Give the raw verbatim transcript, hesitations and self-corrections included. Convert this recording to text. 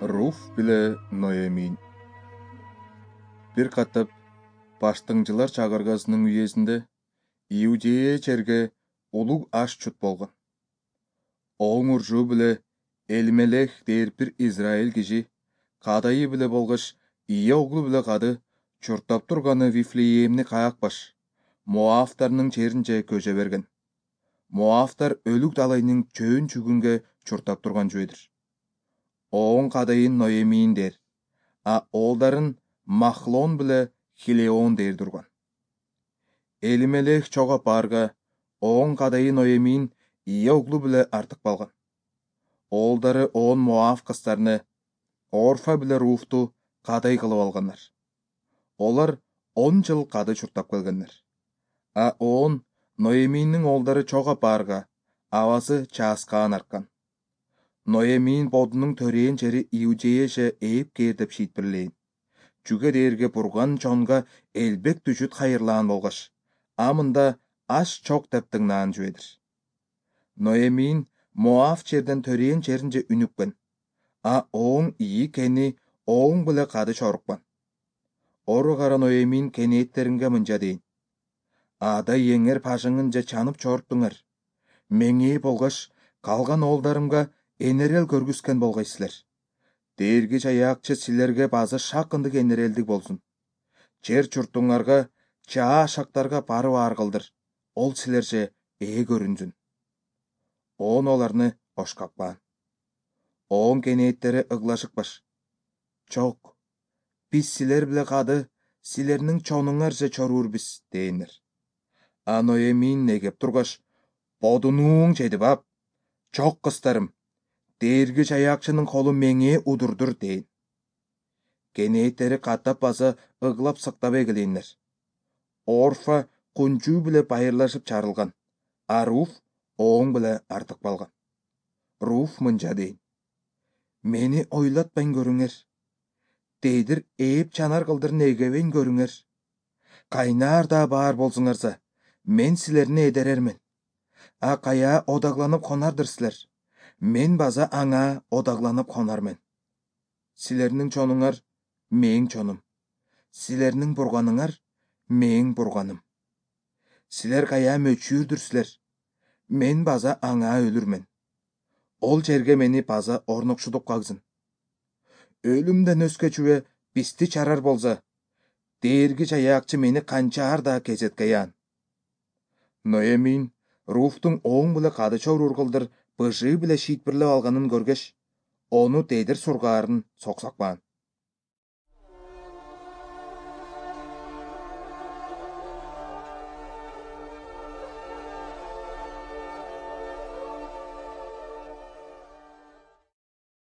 Руф биле Ноэмин. Бир катып баштыңжылар чагыргасынын үйесинде Иудея жерге улуг аш чут болгон. Оң уржуу биле Элмелех дээр бир Израиль киши кадайы биле болгош ийе оглу биле кады чуртап турганы Вифлеемни каякпаш Моавтарнын жеринче көчө берген. Моавтар өлүк далайнын чөөн чүгүнгө чуртап турган жүйдүр. Оң кадайын Ноэмин дер, а оолдарын Махлон биле Хилеон дер турган. Элмелех чогап барга оң кадайын Ноэмин ийе оглу биле артык балган. Оолдары он Моав кыздарыны Орфа биле Руфту кадай кылып алгандар. Олар он жыл кады чуртап келгендер. А он Ноэминнин оолдары чогап барга абасы чааскаан арткан. Ноэмин бодунун төрээн жери Иудеяже ээп кээр деп шийтпирлейин. Чүге дээрге бурган чонга элбек түшүт хайырлаан болгош, амында аш чок деп тыңнаан жүйдүр. Ноэмин Моав жерден төрээн жеринче үнүккөн, а оң ийи кени оң биле кады чорукпан. Ору кара Ноэмин кенеттеринге мынча дейин: Ада еңер пажыңынча чанып чоруптуңар. Меңээ болгош калган оолдарымга энерел көргүзген болгойсузлер. Дээрги Чаяакчы силерге базы шакындык энерелдик болсун. Жер чуртуңарга, чаа шактарга барып аар кылдыр. Ол силерже ээ көрүнсүн. Он оларны ошкапкан. Оң кенеттери ыглашыкпаш. Чок, биз силер биле кады силернин чонуңарже чорурбиз дейинер. А Ноэмин негеп тургаш: Бодунууң жетип ап. Чок кыздарым, Дээрги Чаяакчынын колу меңээ удурдур дейин. Кенеттери каттап баса ыглап сыктап эгелейинер. Орфа кунчуу биле байырлашып чарылган, а Руф оң биле артык балган. Руф мынча дейин: Мени ойлотпайн көрүңөр. Дейдир ээп чанар кылдыр негебейн көрүңөр. Кайнаар да баар болсуңарса, мен силерни эдерермен. А кая одагланып конардыр силер, мен база аңа одагланып конармен. Силернин чонуңар мээң чонум, силернин бурганыңар мээң бурганым. Силер кая мөчүүрдүрсүлер, мен база аңа өлүрмен. Ол жерге мени база орнокшутуп кагсын. Өлүмдөн өскөчүбө бизди чарар болса, Дээрги Чаяакчы мени канчаар да кезеткеян. Ноэмин Руфтун оң биле кады чоруур кылдыр быжыы биле шийтпирлеп алганын көргөч, ону дедир сургаарын соксакпаан.